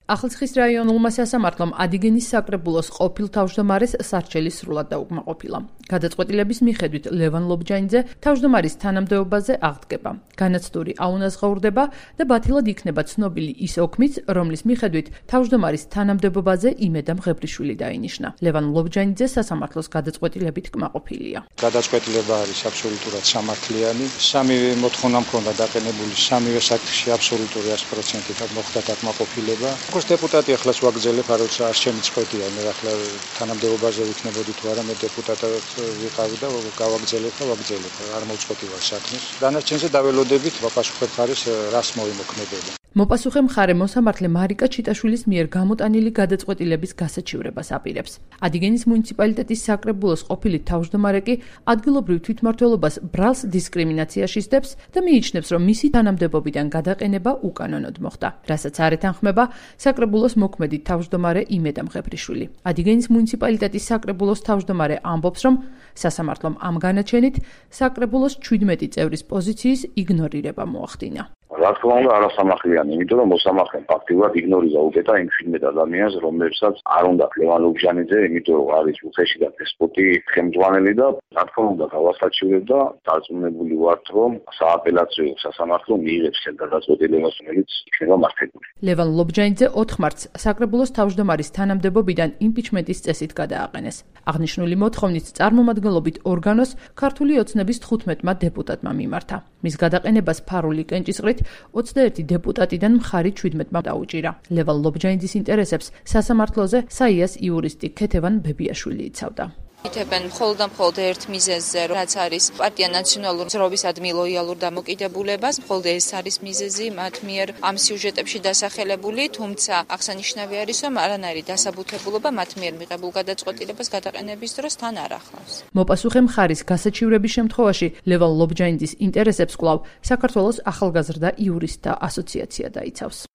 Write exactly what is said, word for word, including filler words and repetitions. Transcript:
ახალციხის რაიონულმა სასამართლომ ადიგენის საკრებულოს ყოფილ თავმჯდომარეს სარჩელი სრულად დაუკმაყოფილა. გადაწყვეტილების მიხედვით ლევან ლობჯანიძე თავმჯდომარის თანამდებობაზე აღდგება. განაცდური აუნაზღაურდება და ბათილად იქნება ცნობილი ის ოქმიც, რომლის მიხედვით თავმჯდომარის თანამდებობაზე იმედა მღებრიშვილი დაინიშნა. ლევან ლობჯანიძე სასამართლოს გადაწყვეტილებით კმაყოფილია. გადაწყვეტილება არის აბსოლუტურად სამართლიანი. სამივე მოთხოვნა მქონდა დაყენებული, სამივე საკითხში აბსოლუტური ათი პროცენტით მოხდა დაკმაყოფილება. როგორც დეპუტატი ახლაც ვაგრძელებ, არ ვიცი არ შემიწყვეტია, მე ახლა თანამდებობაზე ვიქნებოდი თუ არა, მე დეპუტატად ვიყავი და გავაგრძელებ და ვაგრძელებ, არ მოვწყვეტი ვარ საქმეს. დანარჩენზე დაველოდებით ვაპასუხებ ხარეს რას მოიმოქმედება. მოპასუხე მხარე მოსამართლე მარიკა ჩიტაშვილის მიერ გამოტანილი გადაწყვეტილების გასაჩივრებას აპირებს. ადიგენის მუნიციპალიტეტის საკრებულოს ყოფილი თავმჯდომარე კი ადგილობრივ თვითმმართველობას ბრალს დისკრიმინაციაში სდებს და მიიჩნევს, რომ მისი თანამდებობიდან გადაყენება უკანონოდ მოხდა, რასაც არ ეთანხმება საკრებულოს მოქმედი თავმჯდომარე იმედა მღებრიშვილი. ადიგენის მუნიციპალიტეტის საკრებულოს თავმჯდომარე ამბობს, რომ სასამართლომ ამ განაჩენით საკრებულოს ჩვიდმეტი წევრის პოზიციის იგნორირება მოახდინა. რა თქმა უნდა არასამართლიანი, იმიტომ რომ მოსამართლემ ფაქტიურად იგნორირა უკეთა იმ შვიდმეტ ადამიანს, რომლებსაც არ უნდა ლევან ლობჟანიძე, იმიტომ რომ არის უხეში და დესპოტი ხელმძღვანელი და რა თქმა უნდა გავასაჩივრებდა, დარწმუნებული ვართ, რომ სააპელაციო სასამართლო მიიღებს ეს გადაწყვეტილებას, რომელიც იქნება მართებული. ლევან ლობჯანიძე ოთხ მარტს საკრებულოს თავმჯდომარის თანამდებობიდან იმპიჩმენტის წესით გადააყენეს. აღნიშნული მოთხოვნით წარმომადგენლობით ორგანოს ქართული ოცნების თხუთმეტმა დეპუტატმა მიმართა. მის გადაყენებას ფარული კენჭისყრით ოცდაერთი დეპუტატიდან მხარი ჩვიდმეტმა დაუჭირა. ლევან ლობჯანიძის ინტერესებს სასამართლოზე საიას იურისტი ქეთევან ბებიაშვილი იცავდა. ითებენ მხოლოდ და მხოლოდ ერთ მიზეზზე, რაც არის პარტია ნაციონალური მზრობისადმი ლოიალურ დამოკიდებულებას, მხოლოდ ეს არის მიზეზი მათ მიერ ამ სიუჟეტებში დასახელებული, თუმცა აღსანიშნავი არის, რომ არანაირი დასაბუთებულობა მათ მიერ მიღებულ გადაწყვეტილებას გადაყენების დროს თან არ ახლავს. მოპასუხე მხარის გასაჩივრების შემთხვევაში ლევან ლობჯანიძის ინტერესებს კვლავ საქართველოს ახალგაზრდა იურისტთა ასოციაცია დაიცავს.